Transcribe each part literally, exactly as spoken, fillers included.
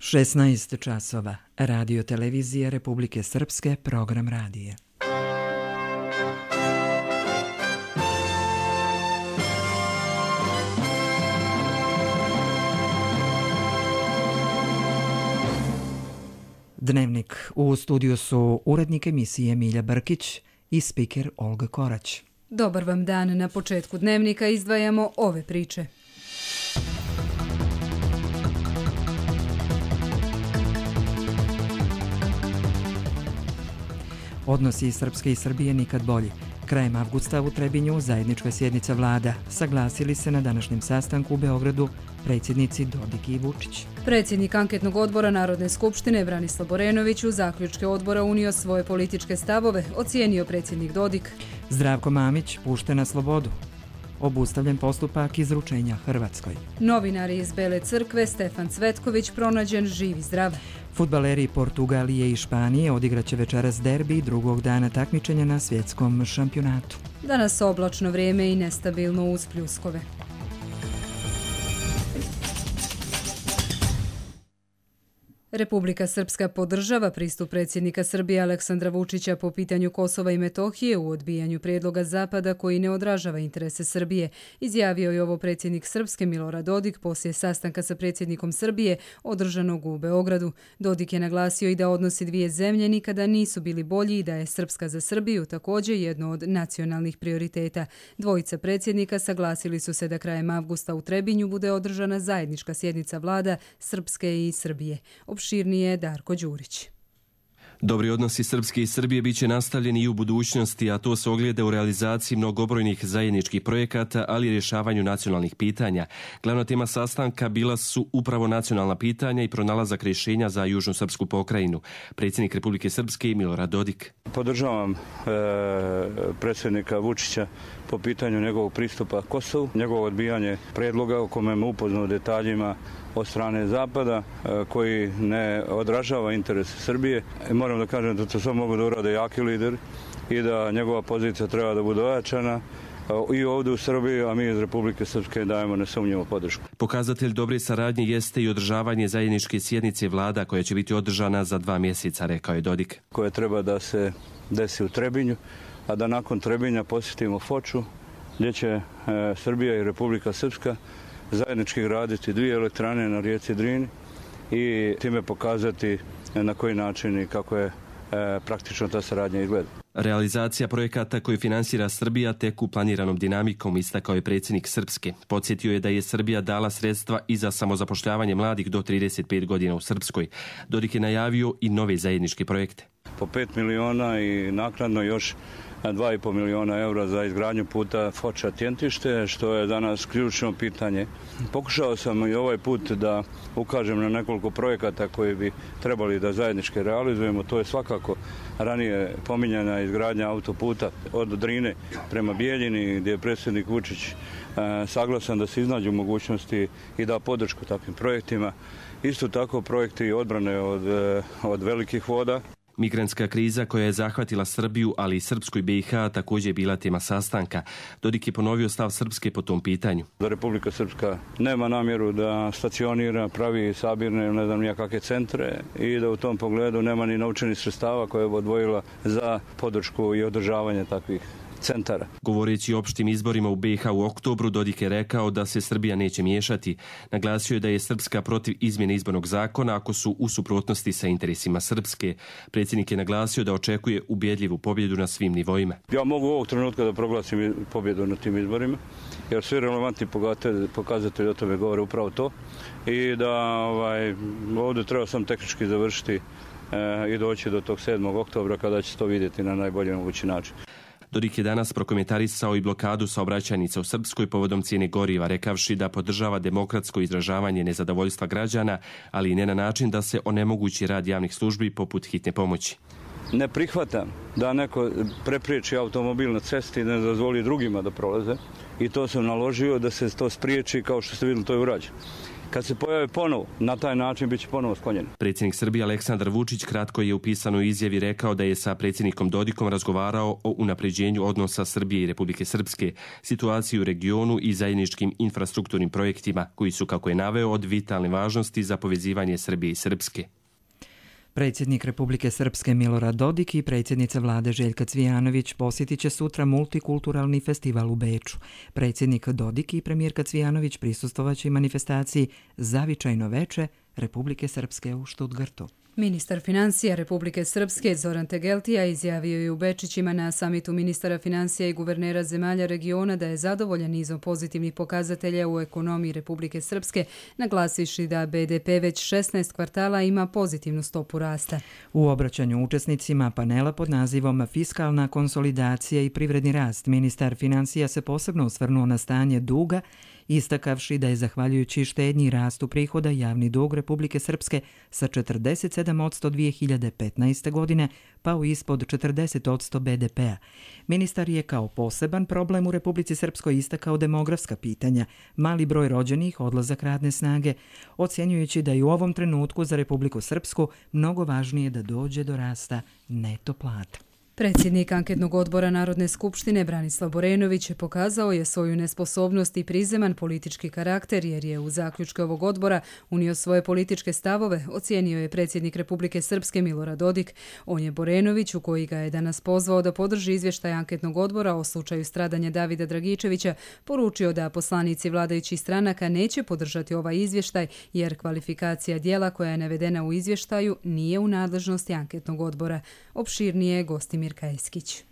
šesnaest časova. Radio televizija Republike Srpske, program radija. Dnevnik. U studiju su urednik emisije Milja Brkić i spiker Olga Korać. Dobar vam dan. Na početku dnevnika izdvajamo ove priče. Odnosi Srpske i Srbije nikad bolji. Krajem avgusta u Trebinju zajednička sjednica vlada. Saglasili se na današnjem sastanku u Beogradu predsjednici Dodik i Vučić. Predsjednik anketnog odbora Narodne skupštine Branislav Borenović u zaključke odbora unio svoje političke stavove, ocijenio predsjednik Dodik. Zdravko Mamić pušten na slobodu. Obustavljen postupak izručenja Hrvatskoj. Novinari iz Bele crkve Stefan Cvetković pronađen živ i zdrav. Fudbaleri Portugalije i Španije odigraće večeras derbi drugog dana takmičenja na svjetskom šampionatu. Danas oblačno vrijeme i nestabilno uz pljuskove. Republika Srpska podržava pristup predsjednika Srbije Aleksandra Vučića po pitanju Kosova i Metohije u odbijanju prijedloga Zapada koji ne odražava interese Srbije, izjavio je ovo predsjednik Srpske Milorad Dodik poslije sastanka sa predsjednikom Srbije održanog u Beogradu. Dodik je naglasio i da odnosi dvije zemlje nikada nisu bili bolji i da je Srpska za Srbiju također jedno od nacionalnih prioriteta. Dvojica predsjednika saglasili su se da krajem avgusta u Trebinju bude održana zajednička sjednica vlada Srpske i Srbije. Širnije Darko Đurić. Dobri odnosi Srpske i Srbije bit će nastavljeni i u budućnosti, a to se ogleda u realizaciji mnogobrojnih zajedničkih projekata, ali i rješavanju nacionalnih pitanja. Glavna tema sastanka bila su upravo nacionalna pitanja i pronalazak rješenja za južnu srpsku pokrajinu. Predsjednik Republike Srpske Milorad Dodik. Podržavam e, predsjednika Vučića po pitanju njegovog pristupa Kosovu, njegovo odbijanje predloga o kome me upoznao detaljima od strane Zapada, koji ne odražava interese Srbije. Moram da kažem da to samo mogu da urade jaki lideri i da njegova pozicija treba da bude ojačana i ovdje u Srbiji, a mi iz Republike Srpske dajemo nesumnjivu podršku. Pokazatelj dobre saradnje jeste i održavanje zajedničke sjednice vlada koja će biti održana za dva mjeseca, rekao je Dodik. Koja treba da se desi u Trebinju, a da nakon Trebinja posjetimo Foču, gdje će e, Srbija i Republika Srpska zajednički graditi dvije elektrane na rijeci Drini i time pokazati na koji način i kako je e, praktično ta saradnja izgleda. Realizacija projekata koju finansira Srbija teku planiranom dinamikom, istakao je predsjednik Srpske. Podsjetio je da je Srbija dala sredstva i za samozapošljavanje mladih do trideset pet godina u Srpskoj. Dodik je najavio i nove zajedničke projekte. Po pet miliona i naknadno još dva i pol miliona eura za izgradnju puta Foča-Tjentište, što je danas ključno pitanje. Pokušao sam i ovaj put da ukažem na nekoliko projekata koji bi trebali da zajednički realizujemo. To je svakako ranije pominjana izgradnja autoputa od Drine prema Bijeljini, gdje je predsjednik Vučić e, saglasan da se iznađu mogućnosti i da podršku takvim projektima. Isto tako projekti odbrane od, od velikih voda. Migrantska kriza koja je zahvatila Srbiju, ali i Srpsku i B i H također je bila tema sastanka. Dodik je ponovio stav Srpske po tom pitanju. Da Republika Srpska nema namjeru da stacionira, pravi sabirne, ne znam nijakakve centre i da u tom pogledu nema ni novčanih sredstava koje je odvojila za podršku i održavanje takvih centara. Govoreći o opštim izborima u B i H u oktobru, Dodik je rekao da se Srbija neće miješati. Naglasio je da je Srpska protiv izmjene izbornog zakona ako su u suprotnosti sa interesima Srpske. Predsjednik je naglasio da očekuje ubjedljivu pobjedu na svim nivoima. Ja mogu ovog trenutka da proglasim pobjedu na tim izborima, jer svi relevantni pokazatelji o tome govore upravo to i da ovaj, ovdje treba sam tehnički završiti e, i doći do tog sedmog oktobra kada će to vidjeti na najbolji mogući način. Dodik je danas prokomentarisao i blokadu saobraćajnica u Srpskoj povodom cijene goriva, rekavši da podržava demokratsko izražavanje nezadovoljstva građana, ali i ne na način da se onemogući rad javnih službi poput hitne pomoći. Ne prihvatam da neko prepriječi automobil na cesti i ne dozvoli drugima da prolaze i to sam naložio da se to spriječi, kao što ste vidjeli, to je urađeno. kad se pojave ponovo, na taj način bit će ponovo sklonjeni. Predsjednik Srbije Aleksandar Vučić kratko je u pisanoj izjavi rekao da je sa predsjednikom Dodikom razgovarao o unapređenju odnosa Srbije i Republike Srpske, situaciji u regionu i zajedničkim infrastrukturnim projektima koji su, kako je naveo, od vitalne važnosti za povezivanje Srbije i Srpske. Predsjednik Republike Srpske Milorad Dodik i predsjednica vlade Željka Cvijanović posjetit će sutra multikulturalni festival u Beču. Predsjednik Dodik i premijerka Cvijanović prisustvovaće i manifestaciji Zavičajno veče Republike Srpske u Štutgartu. Ministar financija Republike Srpske Zoran Tegeltija izjavio je u Bečićima na samitu ministara financija i guvernera zemalja regiona da je zadovoljan nizom pozitivnih pokazatelja u ekonomiji Republike Srpske, naglasivši da be de pe već šesnaest kvartala ima pozitivnu stopu rasta. U obraćanju učesnicima panela pod nazivom Fiskalna konsolidacija i privredni rast, ministar financija se posebno osvrnuo na stanje duga, istakavši da je zahvaljujući štednji i rastu prihoda javni dug Republike Srpske sa četrdeset sedam posto dvije hiljade petnaeste. godine pao ispod četrdeset posto be de pea. Ministar je kao poseban problem u Republici Srpskoj istakao demografska pitanja, mali broj rođenih, odlazak radne snage, ocjenjujući da je u ovom trenutku za Republiku Srpsku mnogo važnije da dođe do rasta neto plata. Predsjednik anketnog odbora Narodne skupštine Branislav Borenović pokazao je svoju nesposobnost i prizeman politički karakter jer je u zaključke ovog odbora unio svoje političke stavove, ocijenio je predsjednik Republike Srpske Milorad Dodik. On je Borenoviću, koji ga je danas pozvao da podrži izvještaj anketnog odbora o slučaju stradanja Davida Dragičevića, poručio da poslanici vladajućih stranaka neće podržati ovaj izvještaj jer kvalifikacija dijela koja je navedena u izvještaju nije u nadležnosti anketnog odbora. Opširnije gosti Mirka Eskić.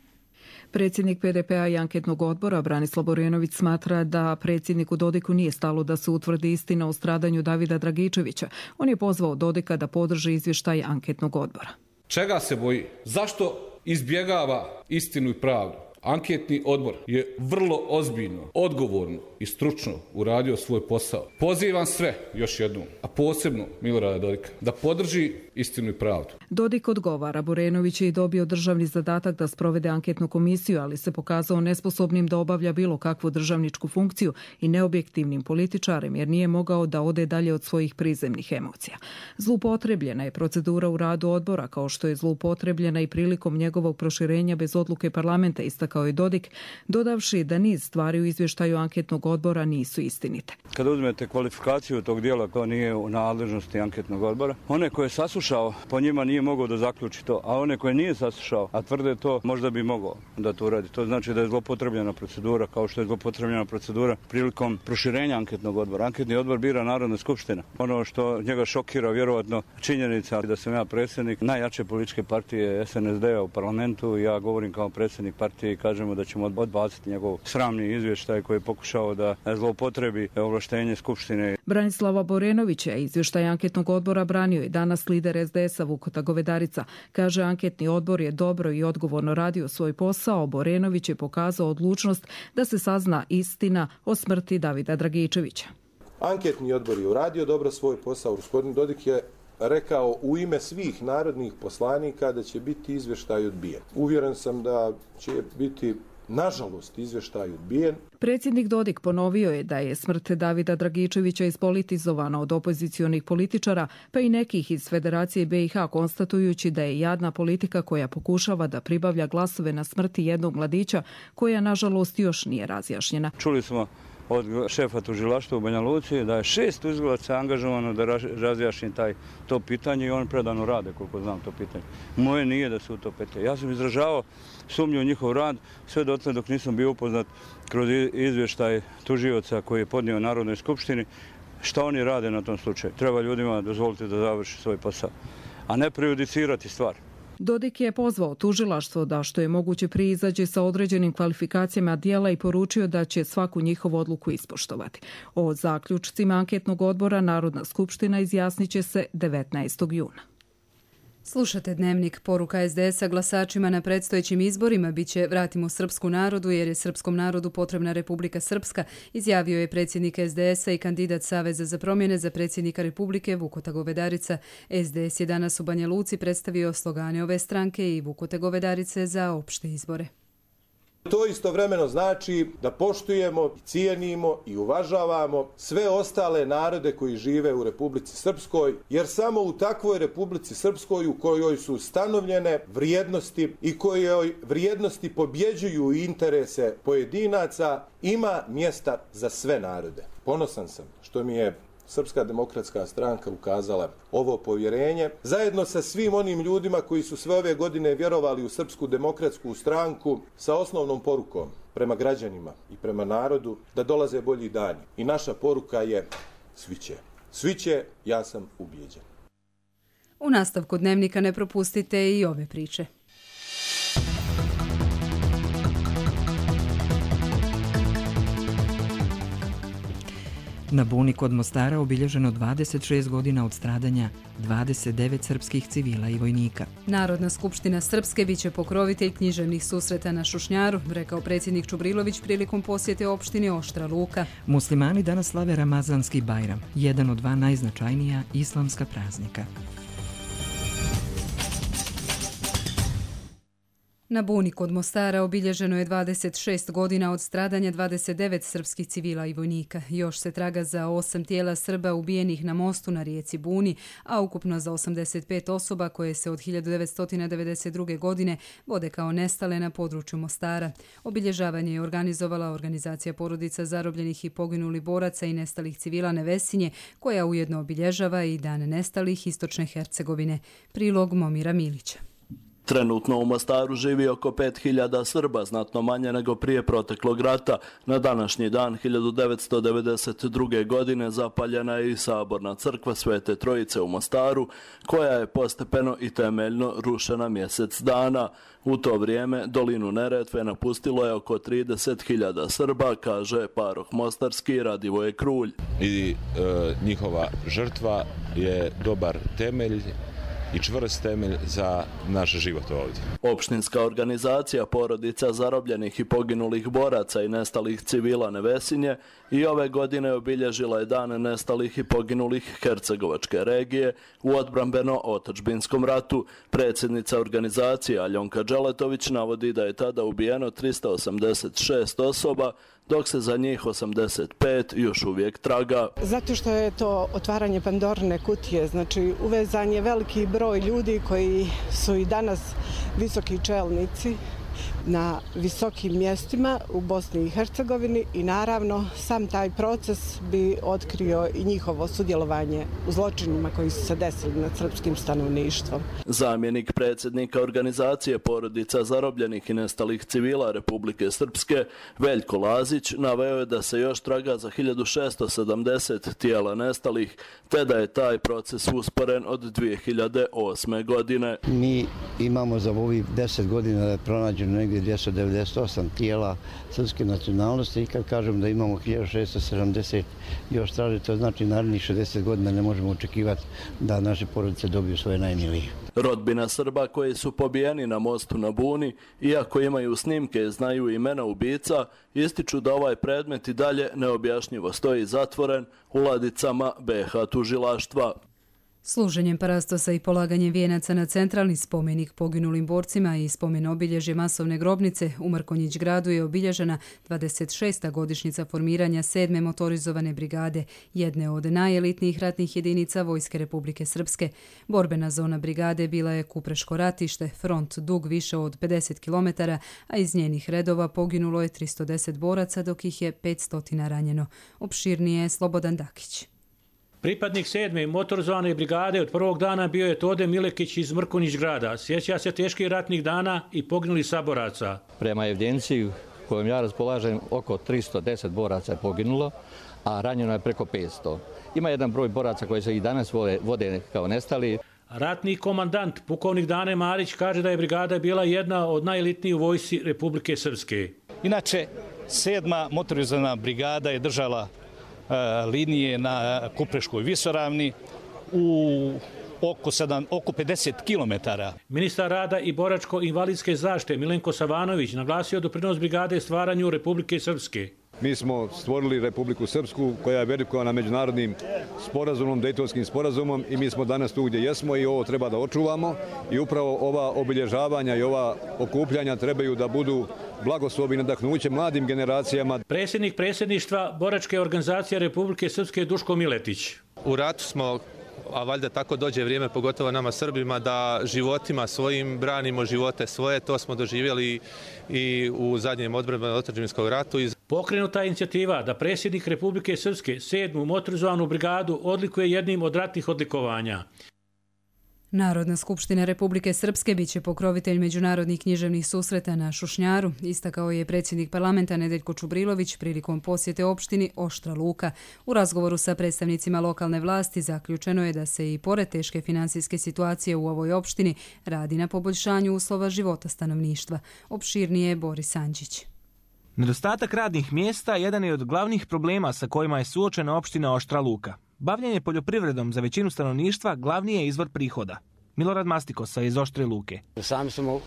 Predsjednik pe de pea i anketnog odbora Branislav Borenović smatra da predsjedniku Dodiku nije stalo da se utvrdi istina o stradanju Davida Dragičevića. On je pozvao Dodika da podrži izvještaj anketnog odbora. Čega se boji? Zašto izbjegava istinu i pravdu? Anketni odbor je vrlo ozbiljno, odgovorno i stručno uradio svoj posao. Pozivam sve, još jednom, a posebno Milorada Dodika, da podrži istinu i pravdu. Dodik odgovara. Borenović je i dobio državni zadatak da sprovede anketnu komisiju, ali se pokazao nesposobnim da obavlja bilo kakvu državničku funkciju i neobjektivnim političarem, jer nije mogao da ode dalje od svojih prizemnih emocija. Zloupotrebljena je procedura u radu odbora, kao što je zloupotrebljena i prilikom njegovog proširenja bez odluke parlamenta, istakao je Dodik, dodavši da niz stvari u izvještaju anketnog odbora nisu istinite. Kada uzmete kvalifikaciju tog dijela, to nije u nadležnosti anketnog odbora. One koje je saslušao, po njima nije mogao da zaključi to, a one koje nije saslušao, a tvrde to, možda bi mogao da to uradi. To znači da je zloupotrebljena procedura, kao što je zloupotrebljena procedura prilikom proširenja anketnog odbora. Anketni odbor bira Narodna skupština. Ono što njega šokira, vjerovatno, činjenica da sam ja predsjednik najjače političke partije es en es de a u parlamentu. Ja govorim kao predsjednik partije i kažemo da ćemo odbaciti njegov sramni izvještaj koji je pokušao da zloupotrebi ovlaštenje skupštine. Branislava Borenovića izvještaj anketnog odbora branio je danas lider es de es a Vukota Govedarica. Kaže, anketni odbor je dobro i odgovorno radio svoj posao. Borenović je pokazao odlučnost da se sazna istina o smrti Davida Dragičevića. Anketni odbor je uradio dobro svoj posao. Gospodin Dodik je rekao u ime svih narodnih poslanika da će biti izvještaj odbijen. Uvjeren sam da će biti, nažalost, izvještaj odbijen. Predsjednik Dodik ponovio je da je smrt Davida Dragičevića ispolitizovana od opozicionih političara, pa i nekih iz Federacije be i ha, konstatujući da je jadna politika koja pokušava da pribavlja glasove na smrti jednog mladića, koja, nažalost, još nije razjašnjena. Čuli smo od šefa tužilaštva u Banja Luci da je šest tužilaca angažovano da razjašnji taj to pitanje i on predano rade, koliko znam, to pitanje. Moje nije da su to pete. Ja sam izražavao sumnju u njihov rad sve dotle dok nisam bio upoznat kroz izvještaj tužioca koji je podnio Narodnoj skupštini šta oni rade na tom slučaju. Treba ljudima dozvoliti da završi svoj posao, a ne prejudicirati stvar. Dodik je pozvao tužilaštvo da što je moguće prije izađe sa određenim kvalifikacijama dijela i poručio da će svaku njihovu odluku ispoštovati. O zaključcima anketnog odbora Narodna skupština izjasnit će se devetnaestog juna. Slušate Dnevnik. Poruka es de es a glasačima na predstojećim izborima biće vratimo srpsku narodu jer je srpskom narodu potrebna Republika Srpska, izjavio je predsjednik es de es a i kandidat Saveza za promjene za predsjednika Republike Vukota Govedarica. es de es je danas u Banja Luci predstavio slogane ove stranke i Vukote Govedarice za opšte izbore. To istovremeno znači da poštujemo, cijenimo i uvažavamo sve ostale narode koji žive u Republici Srpskoj, jer samo u takvoj Republici Srpskoj u kojoj su stanovljene vrijednosti i kojoj vrijednosti pobjeđuju interese pojedinaca ima mjesta za sve narode. Ponosan sam što mi je Srpska demokratska stranka ukazala ovo povjerenje, zajedno sa svim onim ljudima koji su sve ove godine vjerovali u Srpsku demokratsku stranku sa osnovnom porukom prema građanima i prema narodu da dolaze bolji dani. I naša poruka je svi će. Svi će, ja sam ubijeđen. U nastavku Dnevnika ne propustite i ove priče. Na Buni kod Mostara obilježeno dvadeset šest godina od stradanja dvadeset devet srpskih civila i vojnika. Narodna skupština Srpske biće pokrovitelj književnih susreta na Šušnjaru, rekao predsjednik Čubrilović prilikom posjete opštine Oštra Luka. Muslimani danas slave Ramazanski Bajram, jedan od dva najznačajnija islamska praznika. Na Buni kod Mostara obilježeno je dvadeset šest godina od stradanja dvadeset devet srpskih civila i vojnika. Još se traga za osam tijela Srba ubijenih na mostu na rijeci Buni, a ukupno za osamdeset pet osoba koje se od hiljadu devetsto devedeset druge. godine vode kao nestale na području Mostara. Obilježavanje je organizovala Organizacija porodica zarobljenih i poginulih boraca i nestalih civila Nevesinje, koja ujedno obilježava i Dan nestalih Istočne Hercegovine. Prilog Momira Milića. Trenutno u Mostaru živi oko pet hiljada Srba, znatno manje nego prije proteklog rata. Na današnji dan hiljadu devetsto devedeset druge. godine zapaljena je i saborna crkva Svete Trojice u Mostaru, koja je postepeno i temeljno rušena mjesec dana. U to vrijeme dolinu Neretve napustilo je oko trideset hiljada Srba, kaže paroh mostarski Radivoje Krulj. I e, njihova žrtva je dobar temelj i čvrst temelj za naš život ovdje. Opštinska organizacija porodica zarobljenih i poginulih boraca i nestalih civila Nevesinje i ove godine obilježila je Dan nestalih i poginulih Hercegovačke regije u odbrambeno-otadžbinskom ratu. Predsjednica organizacije Aljonka Đeletović navodi da je tada ubijeno trista osamdeset šest osoba, dok se za njih osamdeset pet još uvijek traga. Zato što je to otvaranje Pandorine kutije, znači uvezan je veliki broj ljudi koji su i danas visoki čelnici na visokim mjestima u Bosni i Hercegovini i naravno sam taj proces bi otkrio i njihovo sudjelovanje u zločinima koji su se desili nad srpskim stanovništvom. Zamjenik predsjednika organizacije porodica zarobljenih i nestalih civila Republike Srpske Veljko Lazić naveo je da se još traga za hiljadu šesto sedamdeset tijela nestalih, te da je taj proces usporen od dvije hiljade osme. godine. Mi imamo za ovih deset godina da je pronađeno negdje dvjesto devedeset osam tijela srpske nacionalnosti i kad kažem da imamo hiljadu šesto sedamdeset još traže, to znači narednih šezdeset godina ne možemo očekivati da naše porodice dobiju svoje najmilije. Rodbina Srba koji su pobijeni na mostu na Buni, iako imaju snimke, znaju imena ubica, ističu da ovaj predmet i dalje neobjašnjivo stoji zatvoren u ladicama be ha tužilaštva. Služenjem parastosa i polaganjem vijenaca na centralni spomenik poginulim borcima i spomen obilježje masovne grobnice u Mrkonjić gradu je obilježena dvadeset šesta godišnjica formiranja sedme motorizovane brigade, jedne od najelitnijih ratnih jedinica Vojske Republike Srpske. Borbena zona brigade bila je Kupreško ratište, front dug više od pedeset kilometara, a iz njenih redova poginulo je tristo deset boraca, dok ih je petsto ranjeno. Opširnije je Slobodan Dakić. Pripadnik sedme motorizovane brigade od prvog dana bio je Tode Milekić iz Mrkonjić grada. Sjeća se teških ratnih dana i poginulih saboraca. Prema evidenciji kojom ja raspolažem, oko tristo deset boraca je poginulo, a ranjeno je preko petsto. Ima jedan broj boraca koji se i danas vode, vode kao nestali. Ratni komandant, pukovnik Dane Marić, kaže da je brigada bila jedna od najelitnijih u vojsci Republike Srpske. Inače, sedma motorizovana brigada je držala linije na Kupreškoj visoravni u oko, sedam, oko pedeset kilometara. Ministar rada i boračko-invalidske zaštite Milenko Savanović naglasio doprinos brigade stvaranju Republike Srpske. Mi smo stvorili Republiku Srpsku koja je verifikovana međunarodnim sporazumom, Dejtonskim sporazumom i mi smo danas tu gdje jesmo i ovo treba da očuvamo i upravo ova obilježavanja i ova okupljanja trebaju da budu blagoslov i nadahnuće mladim generacijama. Predsjednik predsjedništva Boračke organizacije Republike Srpske Duško Miletić. U ratu smo, a valjda tako dođe vrijeme, pogotovo nama Srbima, da životima svojim branimo živote svoje. To smo doživjeli i u zadnjem odbrambenom otadžbinskog ratu. Pokrenuta je inicijativa da predsjednik Republike Srpske sedmu motorizovanu brigadu odlikuje jednim od ratnih odlikovanja. Narodna skupština Republike Srpske biće pokrovitelj međunarodnih književnih susreta na Šušnjaru, istakao je predsjednik parlamenta Nedeljko Čubrilović prilikom posjete opštini Oštra Luka. U razgovoru sa predstavnicima lokalne vlasti zaključeno je da se i pored teške finansijske situacije u ovoj opštini radi na poboljšanju uslova života stanovništva. Opširnije je Boris Anđić. Nedostatak radnih mjesta jedan je od glavnih problema sa kojima je suočena opština Oštra Luka. Bavljenje poljoprivredom za većinu stanovništva glavni je izvor prihoda. Milorad Mastikosa iz Oštre Luke. Sami smo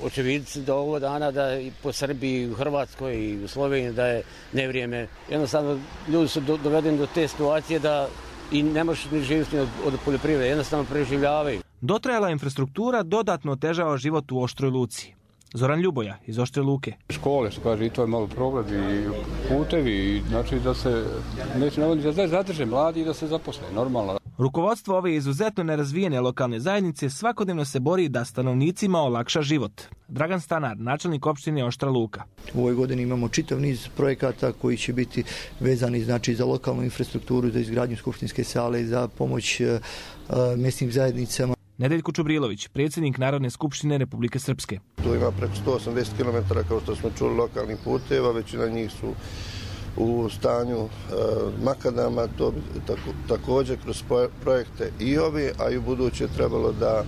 očevidci do ovog dana da i po Srbiji, u Hrvatskoj i u Sloveniji da je nevrijeme. Jednostavno ljudi su dovedeni do te situacije da i ne možeš ni živjeti od, od poljoprivrede, jednostavno preživljavaju. Dotrajala infrastruktura dodatno otežava život u Oštroj Luci. Zoran Ljuboja iz Oštre Luke. Škole, što kaže, i to je malo problem, i putevi, i znači da se neće navoditi da zadrže mladi i da se zaposle, normalno. Rukovodstvo ove izuzetno nerazvijene lokalne zajednice svakodnevno se bori da stanovnicima olakša život. Dragan Stanar, načelnik opštine Oštra Luka. U ovoj godini imamo čitav niz projekata koji će biti vezani znači, za lokalnu infrastrukturu, za izgradnju skupštinske sale, za pomoć uh, mjesnim zajednicama. Nedeljko Čubrilović, predsjednik Narodne skupštine Republike Srpske. Tu ima preko sto osamdeset kilometara, kao što smo čuli, lokalnih puteva, većina njih su u stanju e, makadama, to bi tako, također kroz projekte i ovi, a i u buduće trebalo da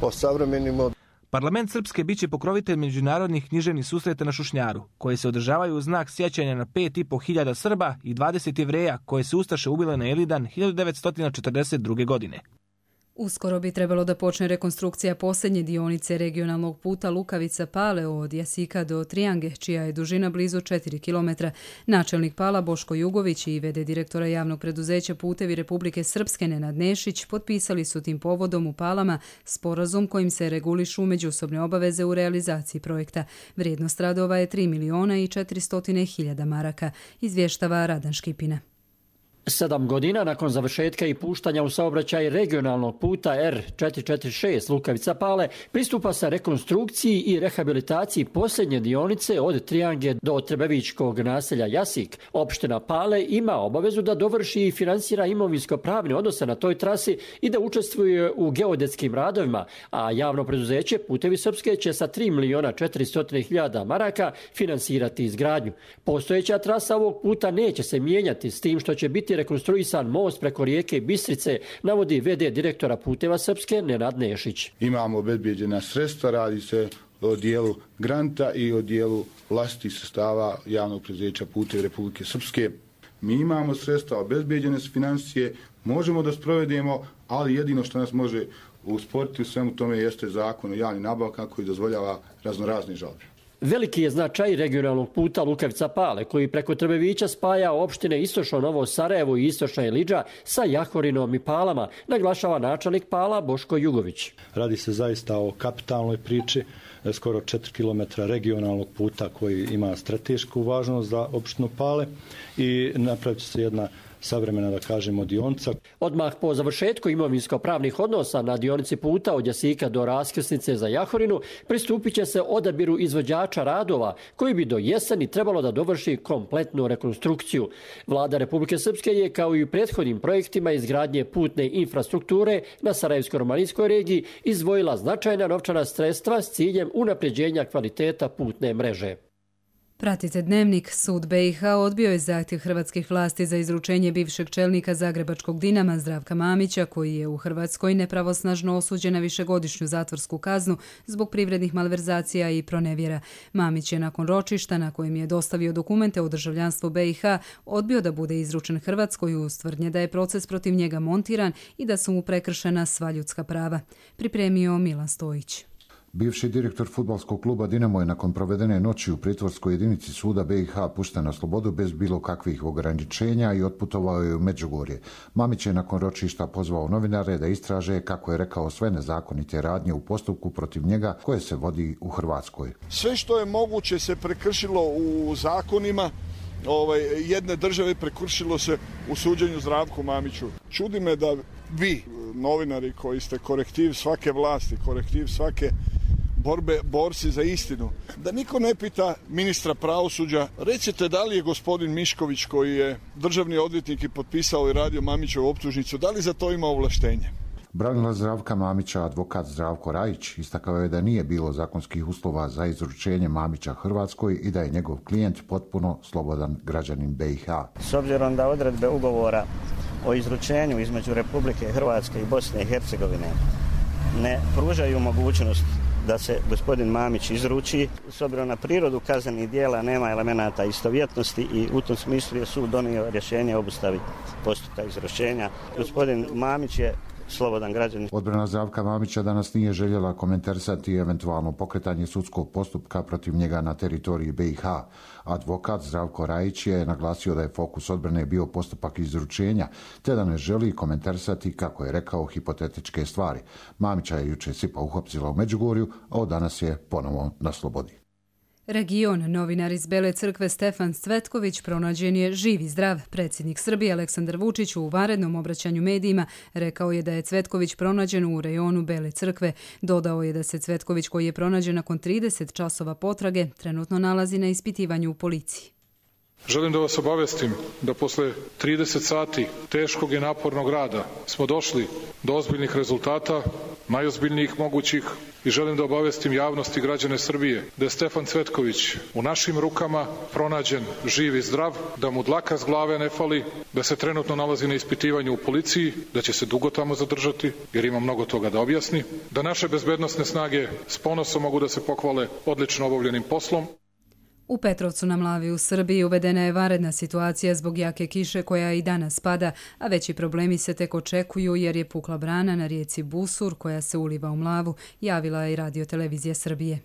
osavremenimo. Parlament Srpske biće pokrovitelj međunarodnih književnih susreta na Šušnjaru, koje se održavaju u znak sjećanja na pet i po hiljada Srba i dvadeset Jevreja koje se ustaše ubile na Elidan hiljadu devetsto četrdeset druge. godine. Uskoro bi trebalo da počne rekonstrukcija posljednje dionice regionalnog puta Lukavica-Pale od Jasika do Trijange, čija je dužina blizu četiri kilometra. Načelnik Pala Boško Jugović i v d direktora javnog preduzeća Putevi Republike Srpske Nenad Nešić potpisali su tim povodom u Palama sporazum kojim se regulišu međusobne obaveze u realizaciji projekta. Vrijednost radova je tri miliona i četiristo hiljada maraka, izvještava Radan Škipina. Sedam godina nakon završetka i puštanja u saobraćaj regionalnog puta R četiristo četrdeset šest Lukavica-Pale pristupa se rekonstrukciji i rehabilitaciji posljednje dionice od Trijange do Trebevičkog naselja Jasik. Opština Pale ima obavezu da dovrši i finansira imovinsko-pravne odnose na toj trasi i da učestvuje u geodetskim radovima, a javno preduzeće Putevi Srpske će sa tri miliona četiristo hiljada maraka finansirati izgradnju. Postojeća trasa ovog puta neće se mijenjati, s tim što će biti rekonstruisan most preko rijeke Bistrice, navodi v d direktora Puteva Srpske Nenad Nešić. Imamo obezbijeđena sredstva, radi se o dijelu granta i o dijelu vlastitih sredstava javnog preduzeća Putevi Republike Srpske. Mi imamo sredstva, obezbijeđene su financije, možemo da sprovedemo, ali jedino što nas može usporiti u svemu tome jeste zakon o javnim nabavkama koji dozvoljava raznorazne žalbe. Veliki je značaj regionalnog puta Lukavica-Pale, koji preko Trbevića spaja opštine Istočno Novo Sarajevo i Istočna Ilidža sa Jahorinom i Palama, naglašava načelnik Pala Boško Jugović. Radi se zaista o kapitalnoj priči, skoro četiri kilometra regionalnog puta koji ima stratešku važnost za opštinu Pale i napravit će se jedna savremena, da kažemo, dionica. Odmah po završetku imovinsko-pravnih odnosa na dionici puta od Jasika do raskrsnice za Jahorinu pristupit će se odabiru izvođača radova koji bi do jeseni trebalo da dovrši kompletnu rekonstrukciju. Vlada Republike Srpske je, kao i u prethodnim projektima izgradnje putne infrastrukture na Sarajevsko-romanijskoj regiji, izdvojila značajna novčana sredstva s ciljem unapređenja kvaliteta putne mreže. Pratite Dnevnik. Sud B i H odbio je zahtjev hrvatskih vlasti za izručenje bivšeg čelnika Zagrebačkog Dinama Zdravka Mamića, koji je u Hrvatskoj nepravosnažno osuđen na višegodišnju zatvorsku kaznu zbog privrednih malverzacija i pronevjera. Mamić je nakon ročišta, na kojem je dostavio dokumente o državljanstvu B i H, odbio da bude izručen Hrvatskoj uz tvrdnje da je proces protiv njega montiran i da su mu prekršena sva ljudska prava. Pripremio Milan Stojić. Bivši direktor fudbalskog kluba Dinamo je nakon provedene noći u pritvorskoj jedinici suda B i H pušten na slobodu bez bilo kakvih ograničenja i otputovao je u Međugorje. Mamić je nakon ročišta pozvao novinare da istraže, kako je rekao, sve nezakonite radnje u postupku protiv njega koje se vodi u Hrvatskoj. Sve što je moguće se prekršilo u zakonima ovaj, jedne države, prekršilo se u suđenju Zdravku Mamiću. Čudi me da vi, novinari koji ste korektiv svake vlasti, korektiv svake borbe, borci za istinu, da niko ne pita ministra pravosuđa, recite da li je gospodin Mišković, koji je državni odvjetnik i potpisao i radio Mamićevu optužnicu, da li za to ima ovlaštenje? Branilac Zdravka Mamića, advokat Zdravko Rajić, istakao je da nije bilo zakonskih uslova za izručenje Mamića Hrvatskoj i da je njegov klijent potpuno slobodan građanin B i H. S obzirom da odredbe ugovora o izručenju između Republike Hrvatske i Bosne i Hercegovine ne pružaju mogućnost da se gospodin Mamić izruči, s obzirom na prirodu kaznenih djela nema elemenata istovjetnosti i u tom smislu je sud donio rješenje o obustavi postupka izručenja. Gospodin Mamić je slobodan građanin. Odbrana Zdravka Mamića danas nije željela komentarisati eventualno pokretanje sudskog postupka protiv njega na teritoriji B i H. Advokat Zdravko Rajić je naglasio da je fokus odbrane bio postupak izručenja, te da ne želi komentarisati, kako je rekao, hipotetičke stvari. Mamića je jučer SIPA uhapsila u Međugorju, a od danas je ponovo na slobodi. Region, novinar iz Bele crkve Stefan Cvetković pronađen je živ i zdrav. Predsjednik Srbije Aleksandar Vučić u vanrednom obraćanju medijima rekao je da je Cvetković pronađen u rejonu Bele crkve. Dodao je da se Cvetković, koji je pronađen nakon trideset časova potrage, trenutno nalazi na ispitivanju u policiji. Želim da vas obavestim da posle trideset sati teškog i napornog rada smo došli do ozbiljnih rezultata, najozbiljnijih mogućih, i želim da obavestim javnost i građane Srbije da je Stefan Cvetković u našim rukama pronađen živ i zdrav, da mu dlaka s glave ne fali, da se trenutno nalazi na ispitivanju u policiji, da će se dugo tamo zadržati jer ima mnogo toga da objasni, da naše bezbednosne snage s ponosom mogu da se pohvale odlično obavljenim poslom. U Petrovcu na Mlavi u Srbiji uvedena je vanredna situacija zbog jake kiše koja i danas pada, a veći problemi se tek očekuju jer je pukla brana na rijeci Busur koja se uliva u Mlavu, javila je i Radio-televizija Srbije.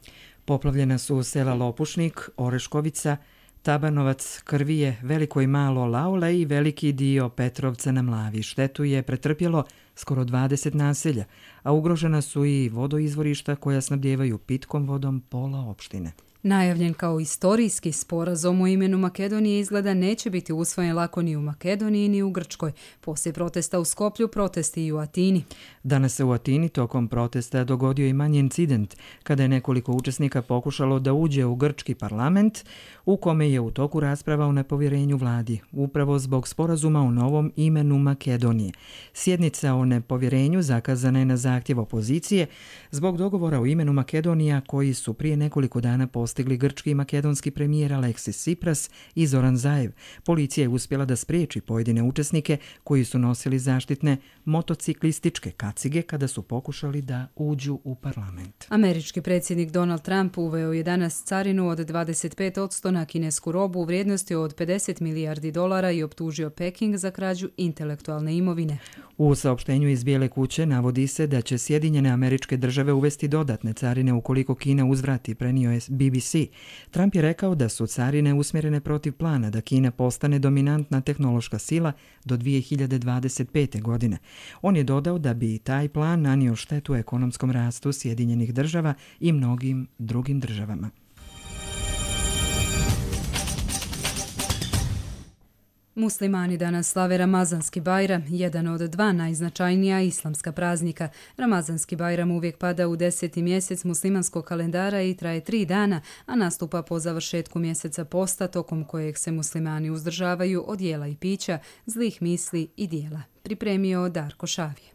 Poplavljena su sela Lopušnik, Oreškovica, Tabanovac, Krvije, Veliko i Malo Laule i veliki dio Petrovca na Mlavi. Štetu je pretrpjelo skoro dvadeset naselja, a ugrožena su i vodoizvorišta koja snabdijevaju pitkom vodom pola opštine. Najavljen kao istorijski sporazum o imenu Makedonije izgleda neće biti usvojen lako ni u Makedoniji ni u Grčkoj. Poslije protesta u Skoplju, protesti i u Atini. Danas se u Atini tokom protesta dogodio i manji incident kada je nekoliko učesnika pokušalo da uđe u grčki parlament u kome je u toku rasprava o nepovjerenju vladi, upravo zbog sporazuma o novom imenu Makedonije. Sjednica o nepovjerenju zakazana je na zahtjev opozicije zbog dogovora o imenu Makedonija koji su prije nekoliko dana postigli grčki i makedonski premijer Aleksis Tsipras i Zoran Zaev. Policija je uspjela da spriječi pojedine učesnike koji su nosili zaštitne motociklističke kacige kada su pokušali da uđu u parlament. Američki predsjednik Donald Trump uveo je danas carinu od dvadeset pet posto na kinesku robu u vrijednosti od pedeset milijardi dolara i optužio Peking za krađu intelektualne imovine. U saopštenju iz Bijele kuće navodi se da će Sjedinjene Američke Države uvesti dodatne carine ukoliko Kina uzvrati, prenio je B B C. Trump je rekao da su carine usmjerene protiv plana da Kina postane dominantna tehnološka sila do dvije hiljade dvadeset pete. godine. On je dodao da bi taj plan nanio štetu ekonomskom rastu Sjedinjenih Država i mnogim drugim državama. Muslimani danas slave Ramazanski Bajram, jedan od dva najznačajnija islamska praznika. Ramazanski Bajram uvijek pada u deseti mjesec muslimanskog kalendara i traje tri dana, a nastupa po završetku mjeseca posta, tokom kojeg se muslimani uzdržavaju od jela i pića, zlih misli i dijela. Pripremio Darko Šavije.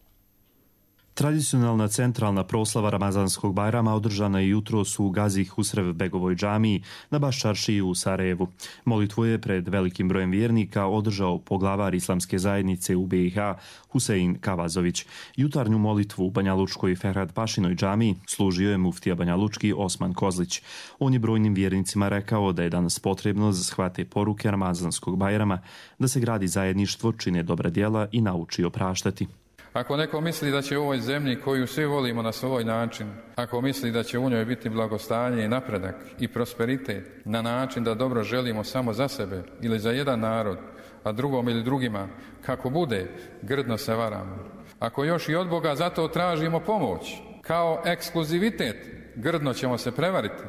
Tradicionalna centralna proslava Ramazanskog Bajrama održana je jutros u Gazi Husrev Begovoj džamiji na Baščaršiji u Sarajevu. Molitvu je pred velikim brojem vjernika održao poglavar islamske zajednice u B i H Husein Kavazović. Jutarnju molitvu u Banjalučkoj Ferhat Pašinoj džamiji služio je muftija Banjalučki Osman Kozlić. On je brojnim vjernicima rekao da je danas potrebno za shvate poruke Ramazanskog Bajrama, da se gradi zajedništvo, čine dobra djela i nauči opraštati. Ako neko misli da će u ovoj zemlji koju svi volimo na svoj način, ako misli da će u njoj biti blagostanje i napredak i prosperitet na način da dobro želimo samo za sebe ili za jedan narod, a drugom ili drugima, kako bude, grdno se varamo. Ako još i od Boga zato tražimo pomoć, kao ekskluzivitet, grdno ćemo se prevariti.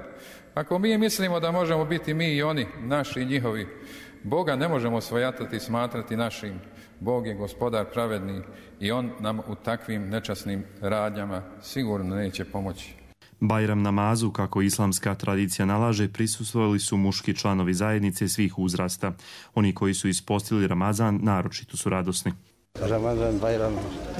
Ako mi mislimo da možemo biti mi i oni, naši i njihovi, Boga ne možemo svojatati i smatrati našim. Bog je gospodar pravedni i On nam u takvim nečasnim radnjama sigurno neće pomoći. Bajram namazu, kako islamska tradicija nalaže, prisustvovali su muški članovi zajednice svih uzrasta. Oni koji su ispostili Ramazan naročito su radosni. Ramazan, Bajram,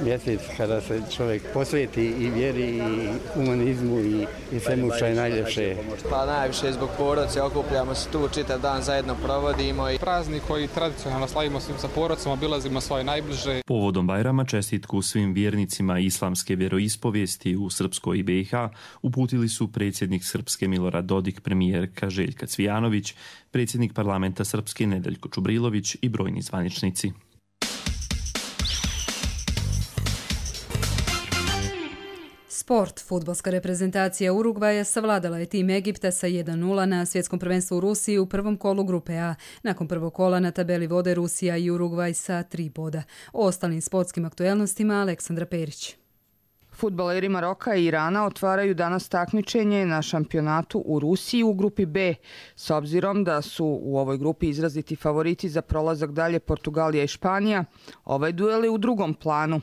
mjesec kada se čovjek posveti i vjeri i humanizmu i, i svemu što je najljepše. Pa najviše zbog porodice, okupljamo se tu, čitav dan zajedno provodimo. I praznik koji tradicionalno slavimo svim sa porodicama, obilazimo svoje najbliže. Povodom Bajrama čestitku svim vjernicima islamske vjeroispovijesti u Srpskoj i B i H uputili su predsjednik Srpske Milorad Dodik, premijerka Željka Cvijanović, predsjednik parlamenta Srpske Nedeljko Čubrilović i brojni zvaničnici. Sport. Fudbalska reprezentacija Urugvaja savladala je tim Egipta sa jedan nula na svjetskom prvenstvu u Rusiji u prvom kolu grupe A. Nakon prvog kola na tabeli vode Rusija i Urugvaj sa tri boda. O ostalim sportskim aktuelnostima Aleksandra Perić. Fudbaleri Maroka i Irana otvaraju danas takmičenje na šampionatu u Rusiji u grupi B, s obzirom da su u ovoj grupi izraziti favoriti za prolazak dalje Portugalija i Španija. Ovaj duel je u drugom planu.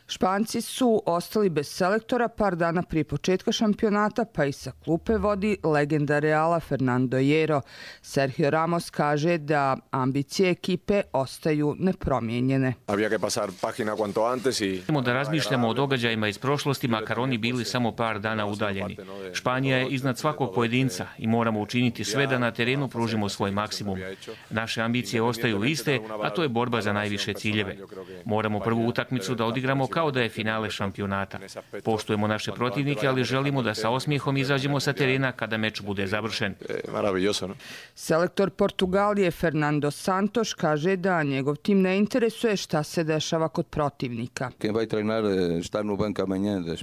Španci su ostali bez selektora par dana prije početka šampionata, pa i sa klupe vodi legenda Reala Fernando Hierro. Sergio Ramos kaže da ambicije ekipe ostaju nepromijenjene. Moramo da razmišljamo o događajima iz prošlosti, makar oni bili samo par dana udaljeni. Španija je iznad svakog pojedinca i moramo učiniti sve da na terenu pružimo svoj maksimum. Naše ambicije ostaju iste, a to je borba za najviše ciljeve. Moramo prvu utakmicu da odigramo kao da je finale šampionata. Poštujemo naše protivnike, ali želimo da sa osmijehom izađemo sa terena kada meč bude završen. Selektor Portugalije Fernando Santos kaže da njegov tim ne interesuje šta se dešava kod protivnika.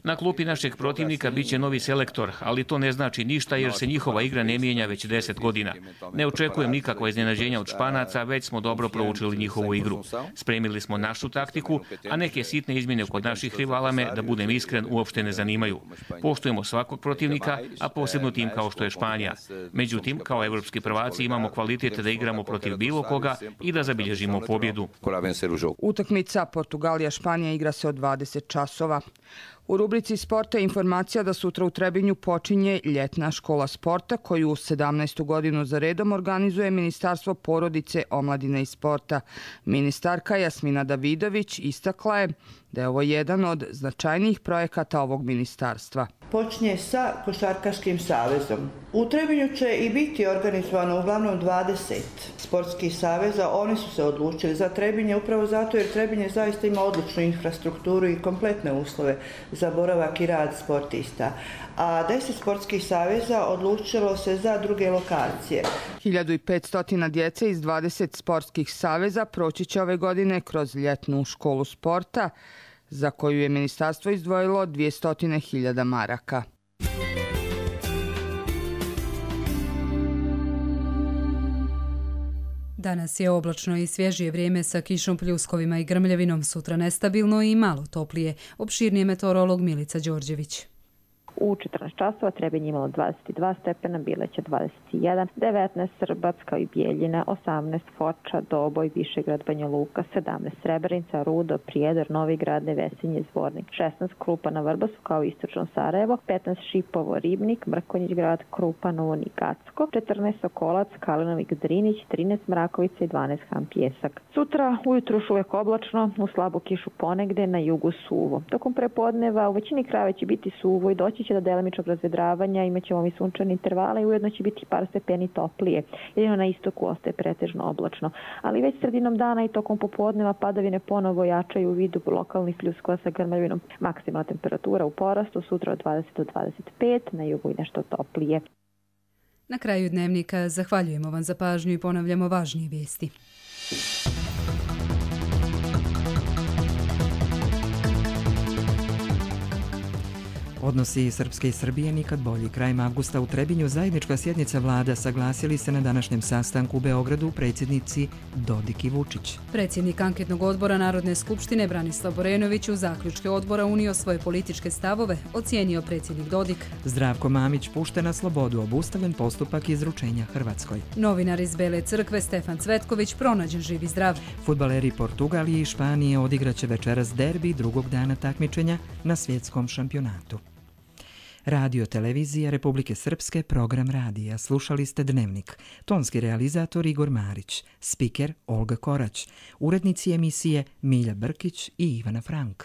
Na klupi našeg protivnika biće novi selektor, ali to ne znači ništa jer se njihova igra ne mijenja već deset godina. Ne očekujem nikakva iznenađenja od Španaca, već smo dobro proučili njihovu igru. Spremili smo našu taktiku, a neke sitne izmjene kod naših rivala me, da budem iskren, uopšte ne zanimaju. Poštujemo svakog protivnika, a posebno tim kao što je Španija. Međutim, kao evropski prvaci imamo kvalitet da igramo protiv bilo koga i da zabilježimo pobjedu. Utakmica Portugalija-Španija igra se od dvadeset časova. U rubrici sporta je informacija da sutra u Trebinju počinje ljetna škola sporta koju sedamnaestu godinu za redom organizuje Ministarstvo porodice, omladine i sporta. Ministarka Jasmina Davidović istakla je da je ovo jedan od značajnijih projekata ovog ministarstva. Počinje sa Košarkaškim savezom. U Trebinju će i biti organizovano uglavnom dvadeset sportskih saveza. Oni su se odlučili za Trebinje upravo zato jer Trebinje zaista ima odličnu infrastrukturu i kompletne uslove za boravak i rad sportista. A deset sportskih saveza odlučilo se za druge lokacije. hiljadu petsto djece iz dvadeset sportskih saveza proći će ove godine kroz ljetnu školu sporta, za koju je ministarstvo izdvojilo dvjesto hiljada maraka. Danas je oblačno i svježije vrijeme sa kišom, pljuskovima i grmljavinom, sutra nestabilno i malo toplije. Opširnije meteorolog Milica Đorđević. U četrnaest časova Trebinje imalo dvadeset dva stepena, Bileća dvadeset jedan, devetnaest Srbac kao i Bijeljina, osamnaest Foča, Doboj, Višegrad, Banja Luka, sedamnaest Srebrenica, Rudo, Prijedor, Novi Grad, Nevesinje, Zvornik, šesnaest Krupa na Vrbasu kao i istočno Sarajevo, petnaest Šipovo, Ribnik, Mrkonjić Grad, Krupa, Novo i Gacko, četrnaest Sokolac, Kalinovik, Drinić, trinaest Mrakovica i dvanaest Han Pjesak. Sutra ujutru još uvijek oblačno, u slabu kišu ponegde, na jugu suvo. Tokom prepodneva u većini krajeva će biti suvo i doći će do delimičnog razvedravanja, imat ćemo i sunčane intervale i ujedno će biti par stepeni toplije. Jedino na istoku ostaje pretežno oblačno. Ali već sredinom dana i tokom popodneva padavine ponovo jačaju u vidu lokalnih pljuskova sa grmljavinom. Maksimalna temperatura u porastu, sutra od dvadeset do dvadeset pet, na jugu i nešto toplije. Na kraju dnevnika zahvaljujemo vam za pažnju i ponavljamo važnije vijesti. Odnosi Srpske i Srbije nikad bolji. Krajem avgusta u Trebinju zajednička sjednica vlada saglasili se na današnjem sastanku u Beogradu predsjednici Dodik i Vučić. Predsjednik anketnog odbora Narodne skupštine Branislav Borenović u zaključke odbora unio svoje političke stavove, ocijenio predsjednik Dodik. Zdravko Mamić pušten na slobodu, obustavljen postupak izručenja Hrvatskoj. Novinar iz Bele crkve Stefan Cvetković pronađen živ i zdrav. Fudbaleri Portugalije i Španije odigraće večeras derbi drugog dana takmičenja na svjetskom šampionatu. Radio televizija Republike Srpske, program radija. Slušali ste Dnevnik. Tonski realizator Igor Marić, spiker Olga Korać, urednici emisije Milja Brkić i Ivana Frank.